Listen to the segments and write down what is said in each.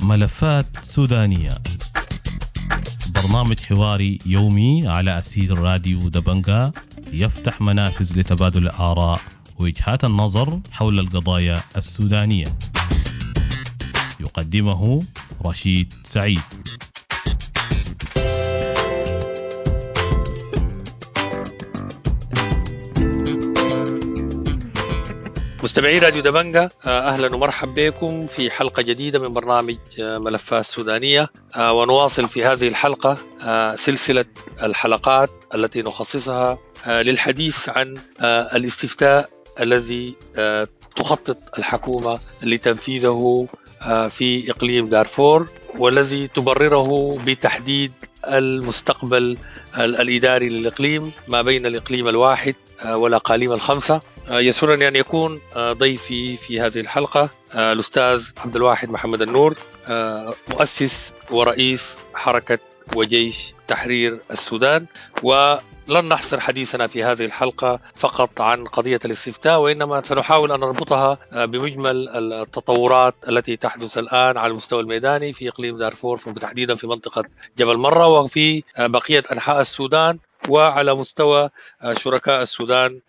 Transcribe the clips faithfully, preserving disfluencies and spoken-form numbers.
ملفات سودانية، برنامج حواري يومي على أسير راديو دبنجا، يفتح منافذ لتبادل الآراء ووجهات النظر حول القضايا السودانية. يقدمه رشيد سعيد. مستمعي راديو دبنجا، أهلا ومرحبا بكم في حلقة جديدة من برنامج ملفات سودانية، ونواصل في هذه الحلقة سلسلة الحلقات التي نخصصها للحديث عن الاستفتاء الذي تخطط الحكومة لتنفيذه في إقليم دارفور، والذي تبرره بتحديد المستقبل الإداري للإقليم ما بين الإقليم الواحد والأقاليم الخمسة. يسرني أن يكون ضيفي في هذه الحلقة الأستاذ عبد الواحد محمد النور، مؤسس ورئيس حركة وجيش تحرير السودان. ولن نحصر حديثنا في هذه الحلقة فقط عن قضية الاستفتاء، وإنما سنحاول أن نربطها بمجمل التطورات التي تحدث الآن على المستوى الميداني في إقليم دارفور، وتحديدا في منطقة جبل مرة وفي بقية أنحاء السودان، وعلى مستوى شركاء السودان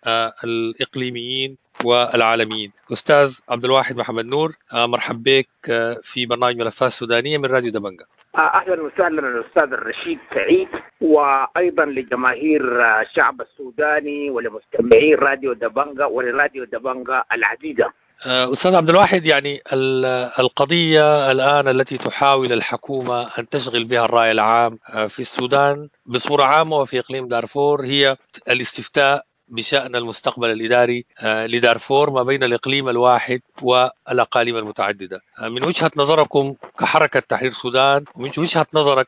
الإقليميين والعالميين. أستاذ عبد الواحد محمد نور، مرحب بك في برنامج ملفات سودانية من راديو دبنجا. أهلا وسهلا الأستاذ الرشيد سعيد، وأيضا لجماهير الشعب السوداني ولمستمعي راديو دبنجا ولراديو دبنجا العزيزة. أستاذ عبد الواحد، يعني القضية الآن التي تحاول الحكومة أن تشغل بها الرأي العام في السودان بصورة عامة وفي إقليم دارفور هي الاستفتاء بشأن المستقبل الإداري لدارفور ما بين الإقليم الواحد والأقاليم المتعددة. من وجهة نظركم كحركة تحرير السودان، ومن وجهة نظرك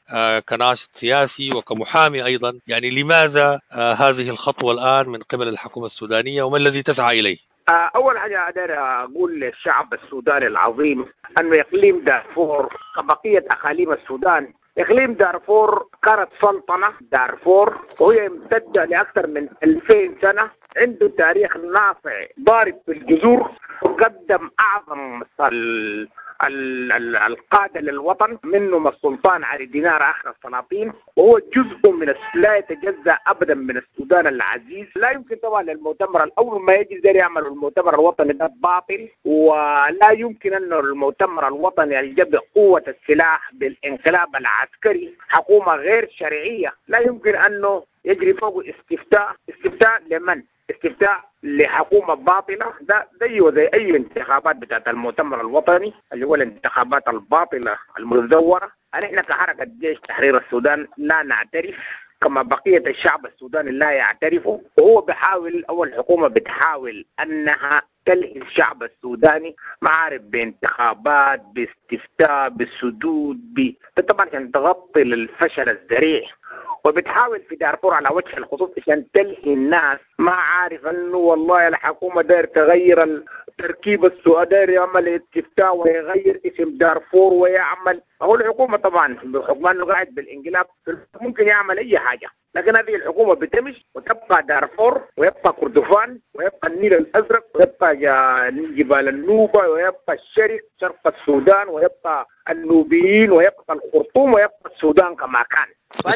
كناشط سياسي وكمحامي أيضا، يعني لماذا هذه الخطوة الآن من قبل الحكومة السودانية، وما الذي تسعى إليه؟ أول حاجة أقدر أقول للشعب السوداني العظيم أنه إقليم دارفور كبقية أقاليم السودان، إقليم دارفور كانت سلطنة دارفور وهي امتدة لأكثر من ألفين سنة، عنده تاريخ ناصع ضارب في الجذور، وقدم أعظم ال ال القادة للوطن، منهم السلطان علي دينار آخر السلاطين، وهو جزء من لا يتجزأ أبدا من السودان العزيز. لا يمكن طبعا للمؤتمر الأول ما يجي زي يعمل المؤتمر الوطني ده باطل، ولا يمكن أن المؤتمر الوطني يجب قوة السلاح بالانقلاب العسكري، حكومة غير شرعية، لا يمكن أنه يجري فوق استفتاء. استفتاء لمن؟ استفتاء لحكومة باطلة، ده زيه زي أي انتخابات بتاعت المؤتمر الوطني اللي هو الانتخابات الباطلة المزورة. نحن كحركة جيش تحرير السودان لا نعترف، كما بقية الشعب السوداني لا يعترفه، وهو بحاول أو الحكومة بتحاول أنها تلهي الشعب السوداني، ما عارف بانتخابات، باستفتاء، بالسدود، ب... طبعا عشان تغطي الفشل الذريع، وبتحاول في دارفور على وجه الخصوص عشان تلهي الناس، ما عارف انه والله الحكومة داير تغير التركيب السوداني، داير يعمل استفتاء ويغير اسم دارفور ويعمل. هو الحكومة طبعا بحكم انه قاعد بالانقلاب ممكن يعمل اي حاجة، لكن هذه الحكومة بتمشي وتبقى دارفور ويبقى كردفان ويبقى النيل الازرق ويبقى جبال النوبة ويبقى الشرق شرق السودان ويبقى النوبيين ويبقى الخرطوم ويبقى السودان كما كان.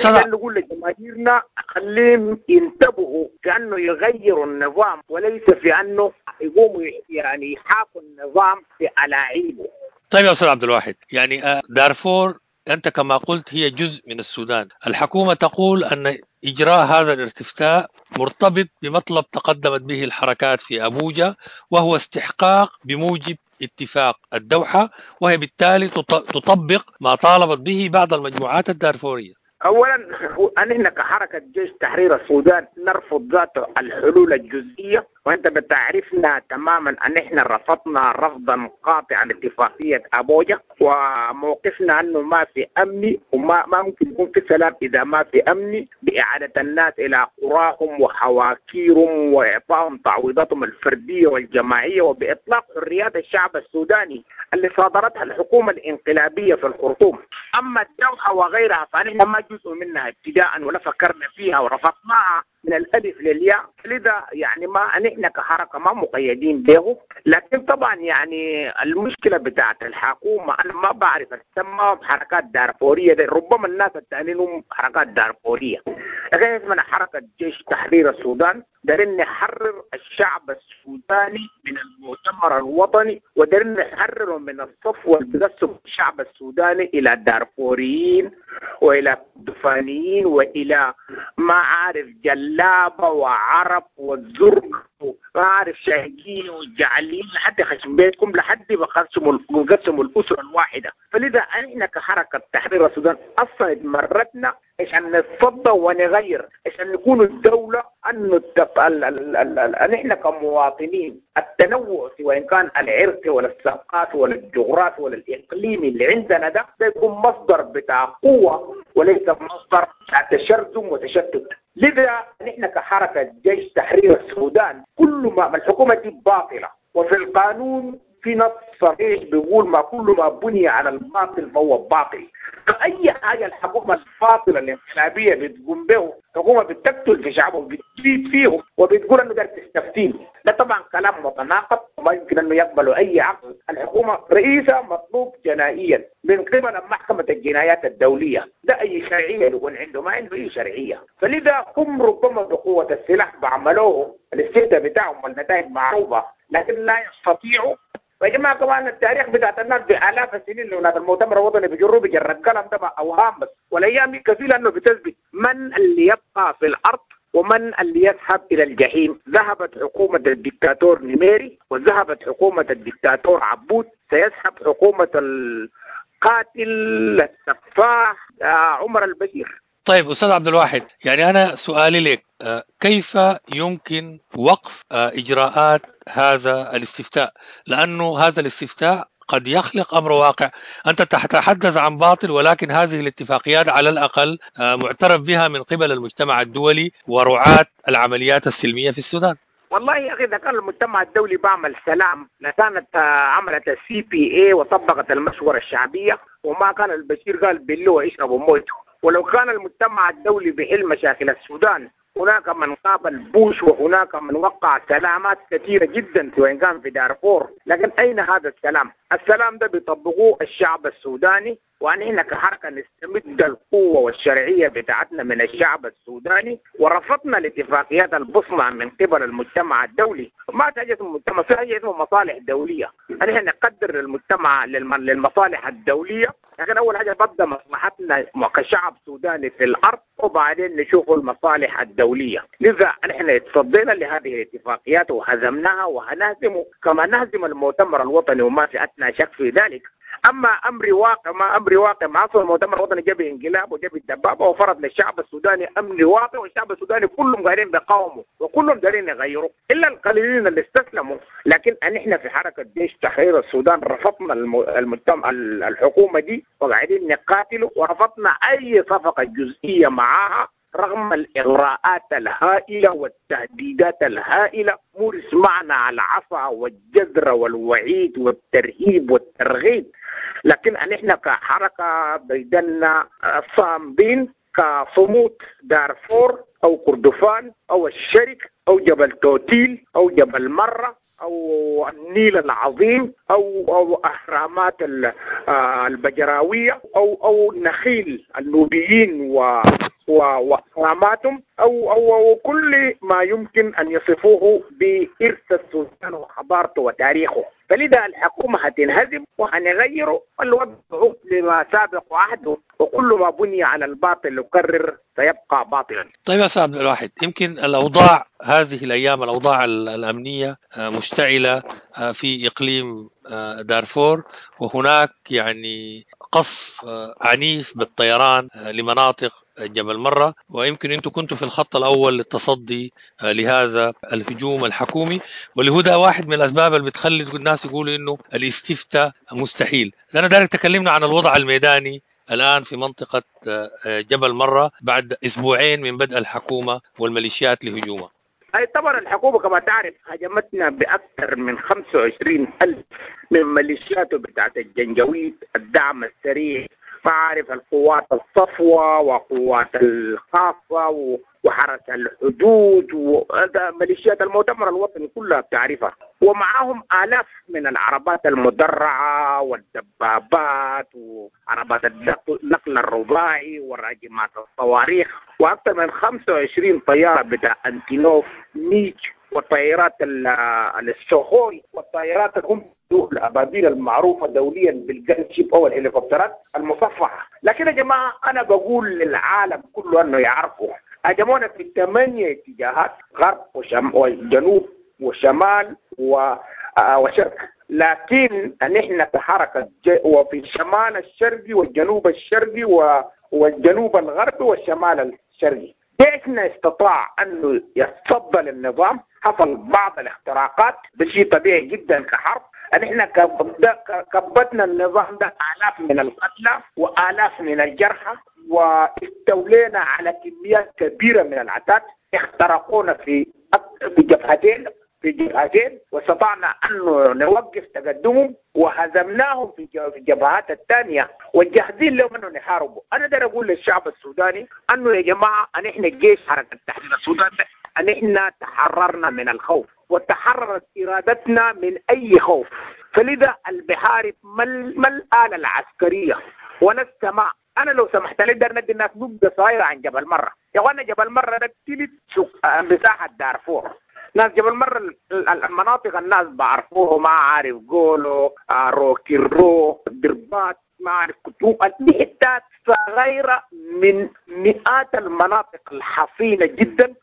فأنا نقول لجماهيرنا خليهم ينتبهوا في أنه يغيروا النظام، وليس في أنه يقوموا يعني يحاكوا النظام في ألاعيبه. طيب يا أستاذ عبد الواحد، يعني دارفور أنت كما قلت هي جزء من السودان. الحكومة تقول أن إجراء هذا الاستفتاء مرتبط بمطلب تقدمت به الحركات في أبوجا، وهو استحقاق بموجب اتفاق الدوحة، وهي بالتالي تطبق ما طالبت به بعض المجموعات الدارفورية. أولا نحن كحركة جيش تحرير السودان نرفض ذات الحلول الجزئية، وأنت بتعرفنا تماما أن نحن رفضنا رفضا قاطعا اتفاقية أبوجا، وموقفنا أنه ما في أمن وما ما ممكن يكون في سلام إذا ما في أمن، بإعادة الناس إلى قراهم وحواكيرهم وإعطائهم تعويضاتهم الفردية والجماعية، وبإطلاق حريات الشعب السوداني اللي صادرتها الحكومة الانقلابية في الخرطوم. أما الدوحة وغيرها فنحن ما جزء منها ابتداء ولا فكرنا فيها ورفضناها من الألف للياء. لذا يعني ما نحن كحركة ما مقيدين به. لكن طبعا يعني المشكلة بتاعت الحكومة أنا ما بعرف أسمى حركات دارفورية دي، ربما الناس التانيين هم حركات دارفورية، لكن اسمنا حركة جيش تحرير السودان. دارين نحرر الشعب السوداني من المؤتمر الوطني، ودارين نحرره من الصفوة اللي بتقسم الشعب السوداني إلى دارفوريين وإلى كردفانيين وإلى ما عارف جلابة وعرب والزرق وما عارف شاهقين وجعلين لحد خشم بيتكم، لحد ما قسموا الأسرة الواحدة. فلذا احنا كحركة تحرير السودان أصلا اتمردنا عشان نتصدى ونغير، عشان نكون الدولة أنه التف... ال... ال... ال... ال... نحن كمواطنين التنوع سواء كان العرقي ولا الثقافي ولا الجغرافي ولا الإقليمي اللي عندنا ده ده يكون مصدر بتاع قوة وليس مصدر بتاع تشرذم وتشتت. لذا نحن كحركة جيش تحرير السودان كل ما الحكومة دي باطلة، وفي القانون في نص صريح بيقول ما كل ما بني على الباطل فهو باطل. فأي حاجة الحكومة الفاطلة الانقلابية بتقوم به، حكومة بتقتل في شعبهم وبتزيد فيهم وبتقول انه ده تستفتين، ده طبعا كلام متناقض وما يمكن انه يقبله اي عقل. الحكومة رئيسها مطلوب جنائيا من قبل محكمة الجنايات الدولية، ده اي شرعية يكون عنده؟ ما عنده اي شرعية. فلذا هم ربما بقوة السلاح بعملوه الاستهداف بتاعهم والنتائج معروفة، لكن لا يستطيعوا. يا جماعة كمان التاريخ بتاعت الناس بالاف السنين اللي هناك المؤتمر الوطني بيجروا بجرة قلم ده اوهام بس، والايام دي كفيله انه بتثبت من اللي يبقى في الارض ومن اللي يذهب الى الجحيم. ذهبت حكومة الدكتاتور نميري وذهبت حكومة الدكتاتور عبود، سيذهب حكومة القاتل السفاح عمر البشير. طيب أستاذ عبد الواحد، يعني أنا سؤالي لك، كيف يمكن وقف إجراءات هذا الاستفتاء؟ لأنه هذا الاستفتاء قد يخلق أمر واقع. أنت تتحدث عن باطل، ولكن هذه الاتفاقيات على الأقل معترف بها من قبل المجتمع الدولي ورعاة العمليات السلمية في السودان. والله يا أخي إذا كان المجتمع الدولي بعمل سلام لكانت عملت ال CPA وطبقت المشورة الشعبية، وما كان البشير قال بالله اشربوا مويته. ولو كان المجتمع الدولي بحل مشاكل السودان، هناك من قابل بوش وهناك من وقع سلامات كثيرة جدا سواء كان في دارفور، لكن أين هذا السلام؟ السلام ده بيطبقوه الشعب السوداني، ونحن كحركة نستمد القوة والشرعية بتاعتنا من الشعب السوداني، ورفضنا الاتفاقيات البصمة من قبل المجتمع الدولي. ما في حاجة اسمه مجتمع، في حاجة اسمه مصالح دولية. نحن نقدر المجتمع للمصالح الدولية، لكن أول حاجة ببدأ مصلحتنا كشعب سوداني في الأرض وبعدين نشوف المصالح الدولية. لذا نحن اتصدينا لهذه الاتفاقيات وهزمناها وهنهزم كما نهزم المؤتمر الوطني وما في أدنى شك في ذلك. اما امر واقع ما امر واقع ما اصل المؤتمر الوطني جاب انقلاب وجاب الدبابة وفرض للشعب السوداني امر واقع، والشعب السوداني كلهم قاعدين بيقاوموا وكلهم دارين يغيروا الا القليلين اللي استسلموا. لكن نحن في حركة جيش تحرير السودان رفضنا المجتمع الحكومة دي وقاعدين نقاتل، ورفضنا اي صفقة جزئية معاها رغم الإغراءات الهائلة والتهديدات الهائلة. مورس معنا على العصا والجزرة والوعيد والترهيب والترغيب، لكن نحن كحركة بيدنا صامدين كصمود دارفور أو كردفان أو الشرك أو جبل توتيل أو جبل مرة أو النيل العظيم أو أو أهرامات البجراوية أو أو نخيل النوبيين و وأهراماتهم أو, أو أو كل ما يمكن أن يصفوه بإرث السودان وحضارته وتاريخه. فلذا الحكومة هتنهزم وهنغيره الوضع لما سابق عهده، وكل ما بني على الباطل يكرر سيبقى باطلا. طيب يا أستاذ عبد الواحد، يمكن الأوضاع هذه الأيام الأوضاع الأمنية مشتعلة في إقليم دارفور، وهناك يعني قصف عنيف بالطيران لمناطق جبل مرة، ويمكن أنتم كنتوا في الخط الأول للتصدي لهذا الهجوم الحكومي، واللي هو ده واحد من الأسباب اللي بتخلي الناس يقولوا إنه الاستفتاء مستحيل. أنا دارك تكلمنا عن الوضع الميداني الآن في منطقة جبل مرة بعد أسبوعين من بدء الحكومة والميليشيات لهجومها. أي طبعا الحكومة كما تعرف هجمتنا بأكثر من خمسة وعشرين ألف من ميليشياته بتاعت الجنجويد، الدعم السريع، ما عارف القوات الصفوة وقوات الخاصة وحرس الحدود وميليشيات المؤتمر الوطني كلها بتعرفها، ومعاهم آلاف من العربات المدرعة والدبابات وعربات النقل الرباعي وراجمات الصواريخ، وأكثر من خمسة وعشرين طيارة بتاع أنتينوف ميج والطائرات السوخوي والطائرات الهم الأبابيل المعروفة دوليا بال gunship أو الهليكوبترات المصفحة. لكن يا جماعة أنا بقول للعالم كله أنه يعرفوا هاجمونا في ثمانية اتجاهات، غرب وشم وجنوب وشمال وشرق، لكن نحن كحركة وفي الشمال الشرقي والجنوب الشرقي والجنوب الغربي والشمال الشرقي جيشنا استطاع أنه يتصدى للنظام. حصل بعض الاختراقات، ده شيء طبيعي جدا كحرب. نحن كبتنا النظام ده آلاف من القتلى وآلاف من الجرحى، واستولينا على كميات كبيرة من العتاد. اخترقونا في في جبهتين في جبهتين واستطعنا أن نوقف تقدمهم وهزمناهم في الجبهات الثانية، والجاهزين لهم أنه نحاربوا. أنا داير أقول للشعب السوداني أنه يا جماعة نحن الجيش حركة تحرير السودان نحن تحررنا من الخوف وتحررت إرادتنا من أي خوف. فلذا البحارب ما الآلة العسكرية ولا السماء. أنا لو سمحت لي دار ندي الناس نبذة صغيرة عن جبل مرة. يا أخوانا جبل مرة ده تلت مساحة دارفور. ناس جبل مرة المناطق الناس بعرفوه، ما عارف قولوا روكيرو دربات ما عارف كتوب، دي حتات صغيرة من مئات المناطق الحصينة جدا.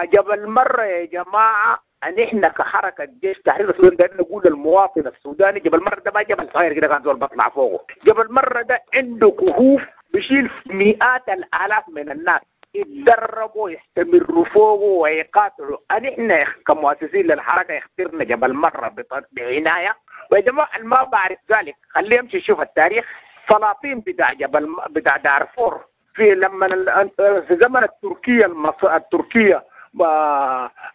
جبل مرة يا جماعة نحن كحركة جيش تحرير السودان دايرين نقول للمواطن السوداني جبل مرة ده ما جبل صغير كده كان زول بطلع فوقه. جبل مرة ده عنده كهوف بيشيل مئات الآلاف من الناس يتدربوا يستمروا فوقه ويقاتلوا. نحن كمؤسسين للحركة اخترنا جبل مرة بعناية. ويا جماعة ما بعرف ذلك خليه يمشي يشوف التاريخ. سلاطين بتاع جبل بتاع دارفور في لما في زمن التركية المص... التركية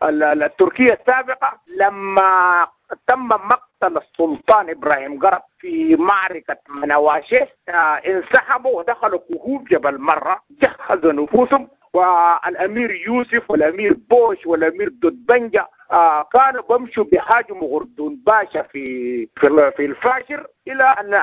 التركية السابقة لما تم مقتل السلطان إبراهيم قرب في معركة منواشيه انسحبوا ودخلوا كهوف جبل مرة، جهزوا نفوسهم. والأمير يوسف والأمير بوش والأمير دودبنجا آه كانوا بمشوا بيهاجموا غردون باشا في في في الفاشر، الى ان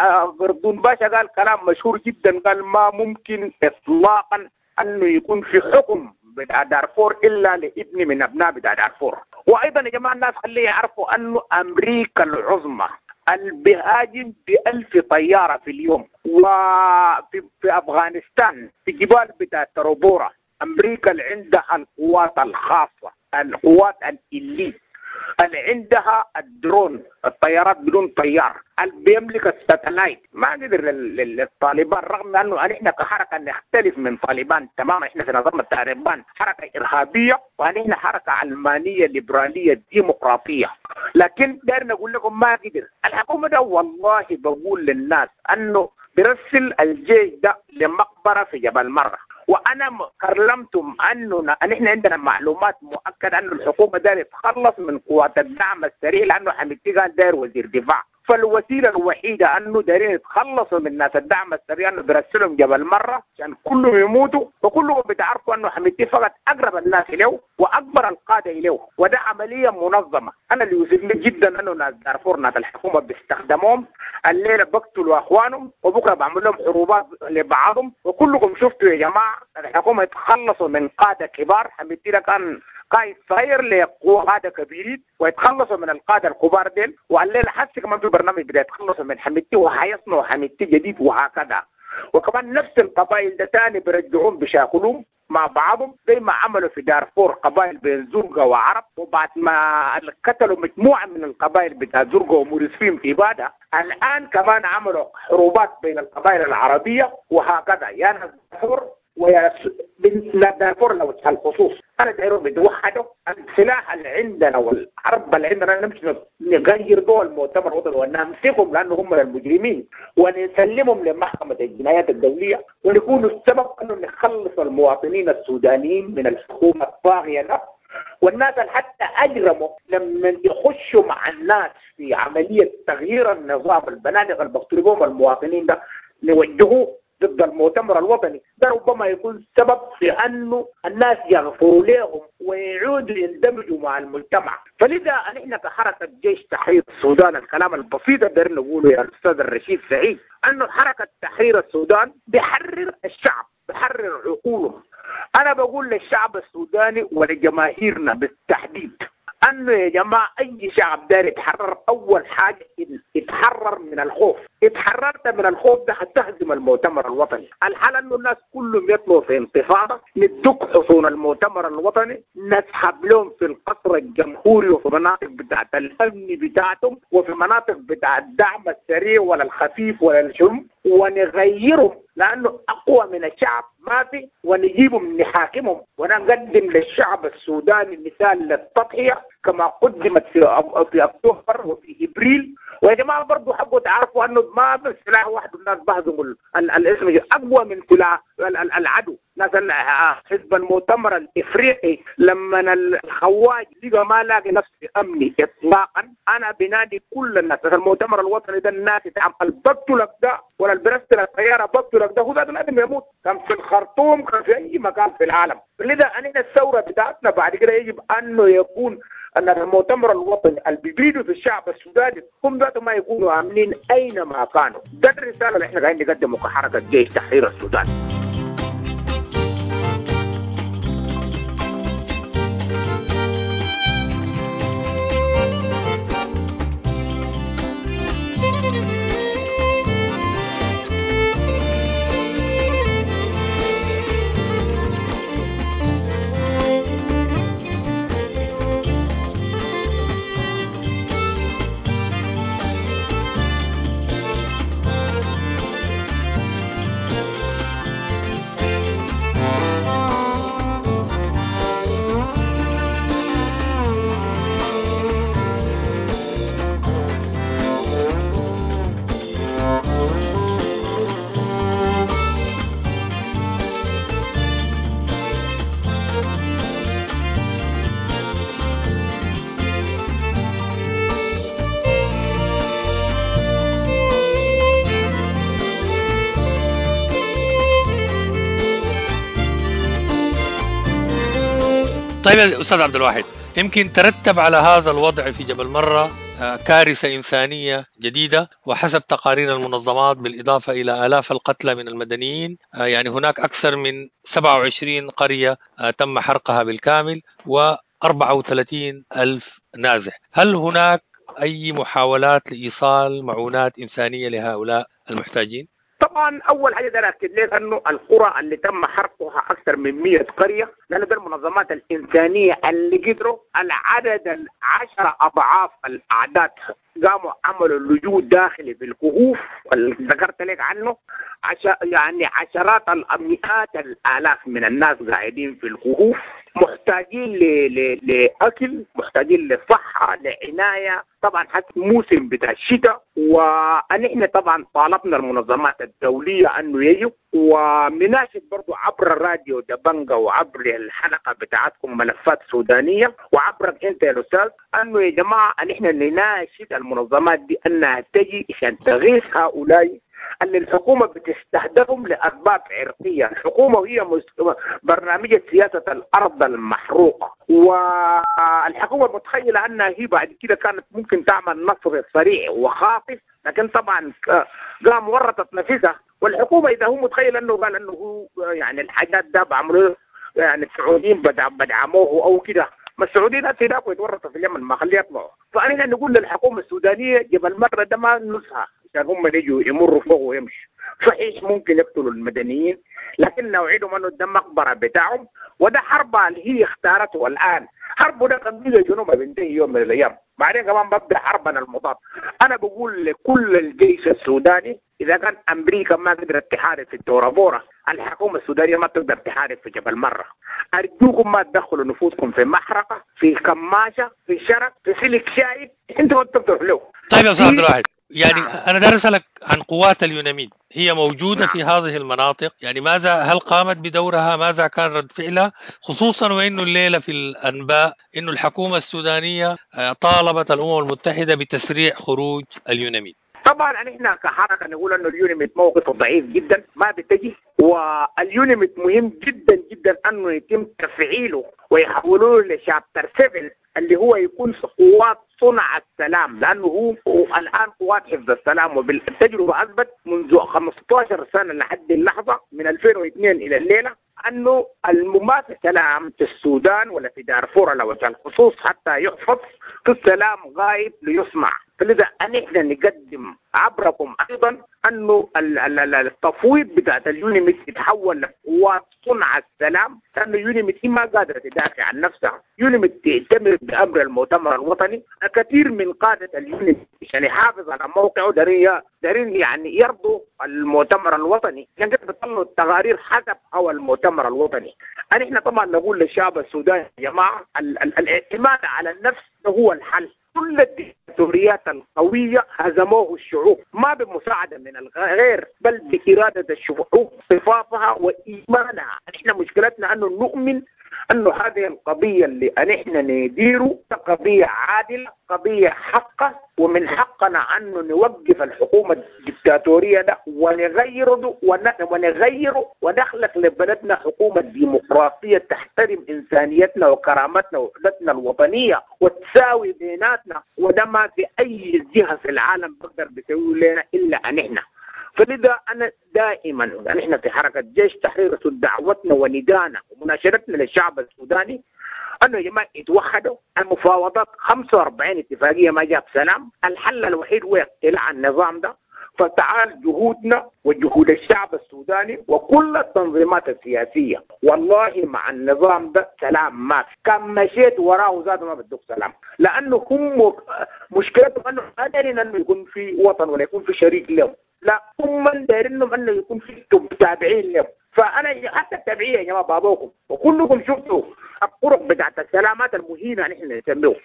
غردون باشا قال كلام مشهور جدا، قال ما ممكن اطلاقا انه يكون في حكم بتاع دارفور الا لابن من ابناء بتاع دارفور. وايضا يا جماعة الناس خليه يعرفوا انه امريكا العظمى اللي بيهاجم بألف طيارة في اليوم، وفي في افغانستان في جبال بتاع تروبورا امريكا اللي عندها القوات الخاصة، القوات ال elite، اللي عندها الدرون، الطيارات بدون طيار، اللي بيملك ال satellite، ما قدر للطالبان، رغم انه نحن كحركه نختلف من طالبان تماما، احنا في نظام الطالبان حركة ارهابية ونحن حركة علمانية ليبرالية ديمقراطية، لكن داير نقول لكم ما قدر الحكومة ده. والله بقول للناس انه برسل الجيش ده لمقبره في جبل مرة، وانا كلمتم انه نحن عندنا معلومات مؤكدة انه الحكومة داير تتخلص من قوات الدعم السريع، لانه حميدتي قال داير وزير دفاع، فالوسيله الوحيدة انه دايرين يتخلصوا من ناس الدعم السريع انه بيرسلهم جبل مرة عشان كلهم يموتوا، وكلهم بتعرفوا انه حميدتي فقط اقرب الناس اليه واكبر القادة اليه، وده عملية منظمة. انا اللي يؤسفني جدا انه ناس دارفور ناس الحكومة بيستخدموهم، الليلة بقتلوا اخوانهم وبكره بعمل لهم حروبات لبعضهم، وكلكم شفتوا يا جماعة الحكومة يتخلصوا من قاده كبار، حميدتي ده كان قائد صغير لقادة كبيرين، ويتخلصوا من القادة الكبار ديل، والليلة حسي كمان في برنامج بدا يتخلصوا من حميدتي وحيصنعوا حميدتي جديد وهكذا. وكمان نفس القبائل ده تاني بيرجعون بشاكلهم مع بعضهم زي ما عملوا في دارفور قبائل بين زرقة وعرب، وبعد ما قتلوا مجموعة من القبائل بتاع زرقة ومورسفين في بادة، الآن كمان عملوا حروبات بين القبائل العربية وهكذا. يا ناس دارفور ويا دارفور لو الخصوص انا دايرهم يتوحدوا، السلاح اللي عندنا والحرب اللي عندنا نمشي نغير دول المؤتمر الوطني ونمسكهم لانه هم المجرمين، ونسلمهم لمحكمة الجنايات الدولية، ونكون السبب انه نخلص المواطنين السودانيين من الحكومة الطاغية ده. والناس اللي حتى اجرموا لما يخشوا مع الناس في عملية تغيير النظام، البنادق اللي بيقتلوا المواطنين ده نوجهوه ضد المؤتمر الوطني، ده ربما يكون سبب في أنه الناس يغفروا لهم ويعودوا يندمجوا مع المجتمع. فلذا نحن كحركة جيش تحرير السودان، الكلام البسيط اللي نقوله يا الأستاذ الرشيد سعيد، أنه حركة تحرير السودان بحرر الشعب، بحرر عقولهم. أنا بقول للشعب السوداني ولجماهيرنا بالتحديد أنه يا جماعة أي شعب داير يتحرر، أول حاجة يتحرر من الخوف. اتحررت من الخوف ده هتهزم المؤتمر الوطني. الحال أنه الناس كلهم يطلعوا في انتفاضة، ندك حصون المؤتمر الوطني، نسحب لهم في القصر الجمهوري وفي مناطق بتاعت الأمن بتاعتهم وفي مناطق بتاعت الدعم السريع ولا الخفيف ولا الشم، ونغيرهم لأنه أقوى من الشعب ما في، ونجيبهم نحاكمهم ونقدم للشعب السوداني مثال للتضحية كما قدمت في في أكتوبر وفي إبريل. ويا جماعة برضو حبوا تعرفوا أنه ما بسلاح واحد الناس بهزموا الاسم أقوى من سلاح العدو. ناس حزب المؤتمر الإفريقي لما الخواج لقى ما لاقي نفسه أمني إطلاقا، أنا بنادي كل الناس المؤتمر الوطني ده، الناس تعمل بقتلك ده ولا البرستل الطيارة بقتلك ده، هو ده لازم يموت، كان في الخرطوم كان في أي مكان في العالم. لذا أننا الثورة بتاعتنا بعد كده يجب أنه يكون أن المؤتمر الوطني اللي بيبيدوا في الشعب السوداني هم ذاتهم ما يكونوا آمنين أينما كانوا. ده الرسالة اللي احنا قاعدين نقدمه كحركة جيش تحرير السودان. طيب أستاذ عبد الواحد، يمكن ترتب على هذا الوضع في جبل مرة كارثة إنسانية جديدة، وحسب تقارير المنظمات بالإضافة إلى آلاف القتلى من المدنيين، يعني هناك أكثر من سبعة وعشرين قرية تم حرقها بالكامل وأربعة وثلاثين ألف نازح. هل هناك أي محاولات لإيصال معونات إنسانية لهؤلاء المحتاجين؟ طبعا اول حاجة ده اكد لك انه القرى اللي تم حرقها اكثر من مئة قرية، لانه ده المنظمات الانسانية اللي قدروا العدد العشرة اضعاف الاعداد قاموا عملوا لجوء داخلي في الكهوف اللي ذكرت لك عنه، عش... يعني عشرات المئات الالاف من الناس قاعدين في الكهوف محتاجين ل... ل... لاكل، محتاجين لصحة، لعنايه، طبعا حتى موسم بتاع الشتاء. ونحن طبعا طالبنا المنظمات الدولية انه يجوا، ومناشد برضو عبر الراديو دبنجا وعبر الحلقة بتاعتكم ملفات سودانيه وعبرك انت يا الاستاذ، انه يا جماعة نحن نناشد المنظمات دي انها تجي عشان تغيث هؤلاء اللي الحكومة بتستهدفهم لاسباب عرقيه. الحكومة وهي برنامج سياسة الارض المحروقه، والحكومة متخيله انها هي بعد كده كانت ممكن تعمل نصر سريع وخاطف، لكن طبعا قام ورطت نفسها. والحكومة اذا هو متخيل انه قال انه هو يعني الحاجات ده بعملوه يعني السعوديين بدعموه او كده، ما السعوديين هسه هناك ويتورطوا في اليمن ما خليه يطلعوا. فانا نقول للحكومة السودانية جبل مرة ده ما نزهه عشان هم يجوا يمروا فوق ويمشوا. صحيح ممكن يقتلوا المدنيين، لكن نوعدهم انه ده مقبره بتاعهم، وده حرب اللي هي اختارته الان. حرب ده قبيلة جنوب بينتهي يوم من الايام، بعدين كمان ببدا حربنا المضاد. انا بقول لكل الجيش السوداني اذا كان امريكا ما قدرت تحارب في التورابورا، الحكومة السودانية ما تقدر تحارب في جبل مرة. ارجوكم ما تدخلوا نفوسكم في محرقة، في كماشه، في شرك، في سلك شايف، انتوا ما بتقدروا له. طيب يا استاذ عبد الواحد، يعني أنا دار أسألك عن قوات اليوناميد، هي موجودة في هذه المناطق، يعني ماذا، هل قامت بدورها؟ ماذا كان رد فعلها؟ خصوصا وإنه الليلة في الأنباء إنه الحكومة السودانية طالبت الأمم المتحدة بتسريع خروج اليوناميد. طبعا نحن كحركه نقول انه اليونيميد موقفه ضعيف جدا ما بتجي، واليونيميد مهم جدا جدا انه يتم تفعيله ويحولوه ل chapter سبعة اللي هو يكون قوات صنع السلام، لانه هو الان قوات حفظ السلام، وبالتجربه اثبت منذ خمسة عشر سنة لحد اللحظة من ألفين واثنين الى الليلة انه ما في سلام في السودان ولا في دارفور على وجه الخصوص حتى يحفظ، في السلام غايب ليصنع. فلذا نحن نقدم عبركم ايضا انه التفويض بتاعت اليونيميد يتحول لقوات صنع السلام، لانه يونيميد ما قادرة تدافع عن نفسها، يونيميد تأتمر بامر المؤتمر الوطني. الكثير من قاده اليونيميد عشان يحافظ على موقعه دارين دارين يعني يرضوا المؤتمر الوطني، عشان كده بيطلعوا التقارير حسب هوى المؤتمر الوطني. نحن طبعا نقول للشعب السوداني يا جماعة الاعتماد على النفس هو الحل. كل الدكتاتوريات القوية هزموه الشعوب، ما بمساعدة من الغير بل بإرادة الشعوب، صفافها وإيمانها. نحن مشكلتنا أنه نؤمن أنه هذه القضية اللي نحن نديره قضية عادلة، قضية حقة، ومن حقنا أنه نوقف الحكومة الدكتاتورية ده ونغيره ونغيره ونخلق لبلدنا حكومة ديمقراطية تحترم إنسانيتنا وكرامتنا ووحدتنا الوطنية وتساوي بيناتنا، وده ما في أي جهة في العالم بقدر بيسويه لنا إلا نحن. فلذا أنا دائما نحن في حركة جيش تحرير دعوتنا وندانا ومناشدتنا للشعب السوداني أنه يا جماعة يتوحدوا. المفاوضات خمسة وأربعين اتفاقية ما جاب سلام، الحل الوحيد هو اقتلاع النظام ده. فتعال جهودنا وجهود الشعب السوداني وكل التنظيمات السياسية، والله مع النظام ده سلام ما في، كان مشيت وراه ذاته ما بدك سلام، لأنه هم مشكلتهم أنه ما دارين أنه يكون في وطن ولا يكون في شريك لهم، لا هم دايرينهم انه يكون في تابعين لهم. فانا حتى التابعيه يا جماعة بابوكم وكلكم شفتوا الطرق بتاعت السلامات المهينه نحن نسميه.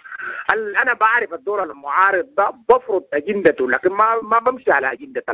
انا بعرف الدور المعارض ده بفرض اجندته، لكن ما ما بمشي على اجندة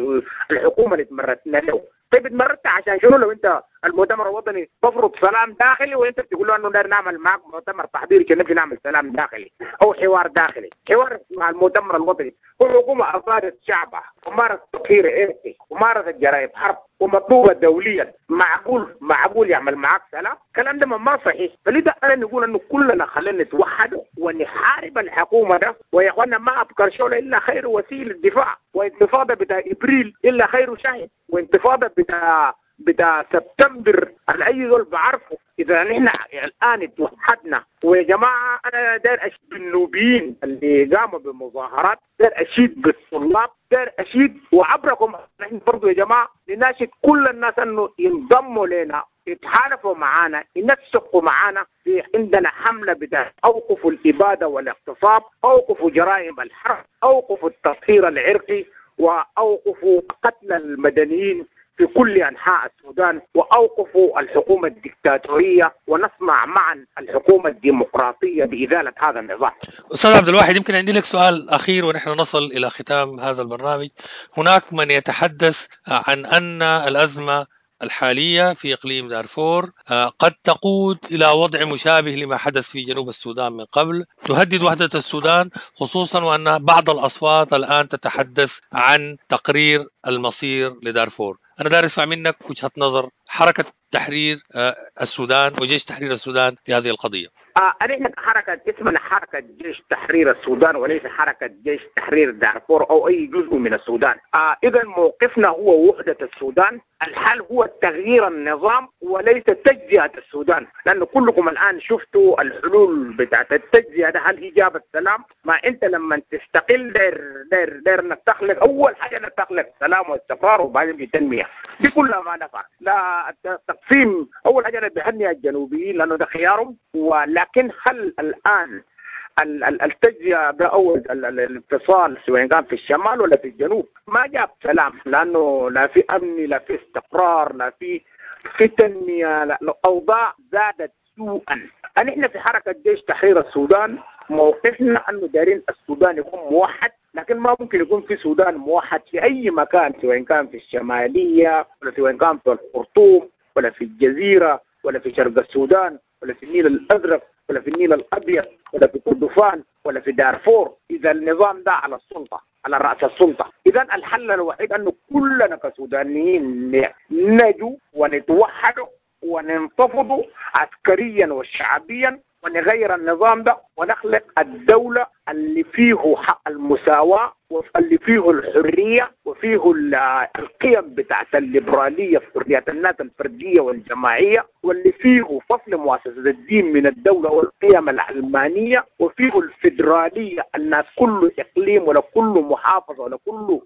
الحكومة اللي تمرتنا له. طيب اتمردت عشان شنو لو انت المؤتمر الوطني بفرض سلام داخلي وانت بتقول له انه داير نعمل معك مؤتمر تحضيري عشان نمشي نعمل سلام داخلي او حوار داخلي، حوار مع المؤتمر الوطني. والحكومة افادت شعبها ومارست تطهير عرقي ومارست جرائم حرب ومطلوبه دوليا، معقول معقول يعمل معك سلام؟ الكلام ده ما صحيح. فلذا انا نقول انه كلنا خلينا نتوحد ونحارب الحكومة ده، ويا اخوانا ما ابكر شغله الا خير وسيلة دفاع، وانتفاضه بتاع ابريل الا خير شاهد، وانتفاضه بتاع بتاع سبتمبر اي زول بعرفه. اذا نحن الان اتوحدنا، ويا جماعة انا داير اشيد بالنوبيين اللي قاموا بمظاهرات، داير اشيد بالطلاب، داير اشيد وعبركم نحن برضه يا جماعة نناشد كل الناس انه ينضموا لنا، يتحالفوا معانا، ينسقوا معانا. في عندنا حمله بتاع اوقفوا الابادة والاغتصاب، اوقفوا جرائم الحرب، اوقفوا التطهير العرقي، واوقفوا قتل المدنيين في كل أنحاء السودان، وأوقفوا الحكومة الدكتاتورية، ونصنع معا الحكومة الديمقراطية بإزالة هذا النظام. أستاذ عبد الواحد، يمكن عندي لك سؤال أخير ونحن نصل إلى ختام هذا البرنامج. هناك من يتحدث عن أن الأزمة الحالية في إقليم دارفور قد تقود إلى وضع مشابه لما حدث في جنوب السودان من قبل، تهدد وحدة السودان، خصوصا وأن بعض الأصوات الآن تتحدث عن تقرير المصير لدارفور. أنا دارس أسمع منك وجهة نظر حركة تحرير السودان وجيش تحرير السودان في هذه القضية. آه نحن حركة اسمنا حركة جيش تحرير السودان وليس حركة جيش تحرير دارفور أو أي جزء من السودان. آه إذا موقفنا هو وحدة السودان، الحل هو تغيير النظام وليس تجزئة السودان، لأنه كلكم الآن شفتوا الحلول بتاعت التجزئة ده، هل هي جابت سلام؟ ما أنت لما تستقل داير داير داير انك تخلق أول حاجة انك تخلق سلام واستقرار وبعدين في تنمية، دي كلها ما نفع. لا التقسيم أول حاجة أنا بهني الجنوبيين لأنه ده خيارهم، ولكن هل الآن التجزئة ده أو الانفصال سواء كان في الشمال ولا في الجنوب ما جاب سلام، لأنه لا في أمن لا في استقرار لا في في تنمية، لا الأوضاع زادت سوءا. نحن في حركة جيش تحرير السودان موقفنا أنه دارين السودان يكون موحد، لكن ما ممكن يكون في سودان موحد في أي مكان، سواء كان في الشمالية ولا سواء كان في الخرطوم ولا في الجزيرة ولا في شرق السودان ولا في النيل الأزرق ولا في النيل الأبيض ولا في كردفان ولا في دارفور. إذا النظام ده على السلطة، على رأس السلطة. إذا الحل الوحيد أنه كلنا كسودانيين نجو ونتوحد وننتفض عسكريا وشعبيا ونغير النظام ده ونخلق الدولة اللي فيه حق المساواة واللي فيه الحرية وفيه القيم بتاعت الليبرالية في حرية الناس الفردية والجماعية، واللي فيه فصل مؤسسة الدين من الدولة والقيم العلمانية، وفيه الفيدرالية، الناس كل إقليم ولا كل محافظة ولا كل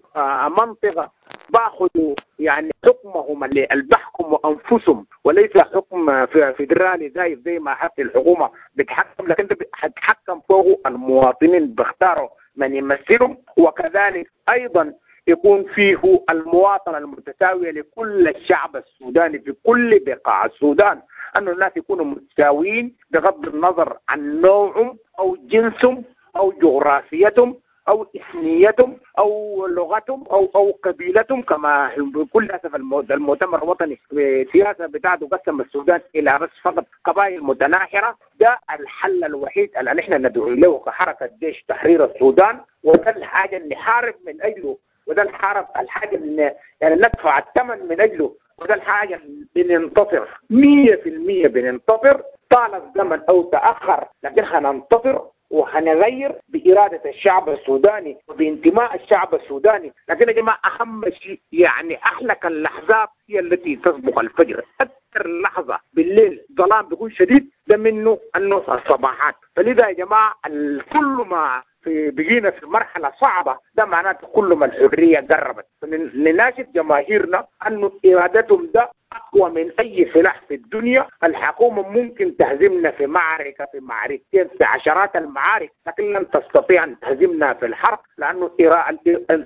منطقة باخذوا يعني حكمهم اللي بحكموا أنفسهم، وليس حكم فيدرالي زي زي ما حتى الحكومة بتحكم، لكن هتحكم فوق المواطنين بيختاروا من يمثلهم. وكذلك أيضا يكون فيه المواطنة المتساوية لكل الشعب السوداني في كل بقاع السودان، أن الناس يكونوا متساويين بغض النظر عن نوعهم أو جنسهم أو جغرافيتهم أو إثنيتهم أو لغتهم أو أو قبيلتهم، كما بكل أسف المؤتمر الوطني السياسة بتاعته قسم السودان إلى بس فقط قبائل متناحرة. ده الحل الوحيد اللي نحن ندعو له كحركة جيش تحرير السودان، وده الحاجة اللي نحارب من أجله، وده الحرب الحاجة اللي يعني ندفع الثمن من أجله، وده الحاجة اللي بننتصر مية في المية، بننتصر طال الزمن أو تأخر، لكن هننتصر وهنغير بإرادة الشعب السوداني وبانتماء الشعب السوداني. لكن يا جماعة أهم شيء يعني أحلك اللحظات هي التي تسبق الفجر. أكثر لحظة بالليل ظلام بيكون شديد ده منه أنه الصباحات. فلذا يا جماعة كل ما في بقينا في مرحلة صعبة ده معناته كل ما الحرية قربت. نناشد جماهيرنا أنه إرادتهم ده أقوى من أي سلاح في الدنيا. الحكومة ممكن تهزمنا في معركة، في معركتين، في عشرات المعارك، لكن لن تستطيع أن تهزمنا في الحرب، لأنه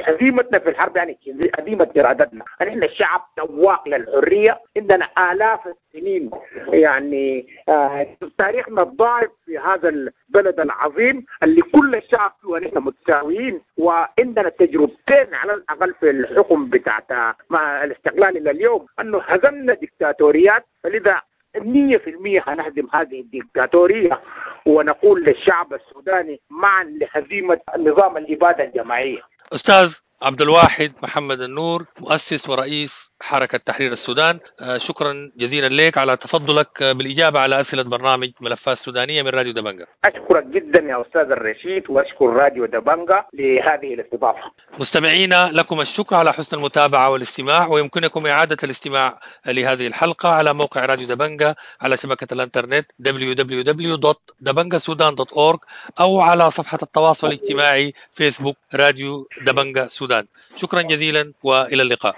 هزيمتنا في الحرب يعني هزيمة إرادتنا. نحن الشعب تواق للحرية، عندنا آلاف السنين يعني آه تاريخنا الضعيف في هذا البلد العظيم اللي كل الشعب فيه ونحن متساويين، وعندنا تجربتين على الأقل في الحكم بتاعت مع الاستقلال إلى اليوم أنه هزمنا ديكتاتوريات. فلذا مية في المية هنهزم هذه الديكتاتورية، ونقول للشعب السوداني معا لهزيمة نظام الإبادة الجماعية. أستاذ عبد الواحد محمد النور، مؤسس ورئيس حركة تحرير السودان، شكرا جزيلا لك على تفضلك بالإجابة على أسئلة برنامج ملفات سودانية من راديو دبنجا. أشكرك جدا يا أستاذ الرشيد، وأشكر راديو دبنجا لهذه الاستضافة. مستمعينا لكم الشكر على حسن المتابعة والاستماع، ويمكنكم إعادة الاستماع لهذه الحلقة على موقع راديو دبنجا على شبكة الانترنت دبليو دبليو دبليو دوت دبنجا سودان دوت أورج أو على صفحة التواصل الاجتماعي فيسبوك راديو دبنجا سودان. شكرا جزيلا وإلى اللقاء.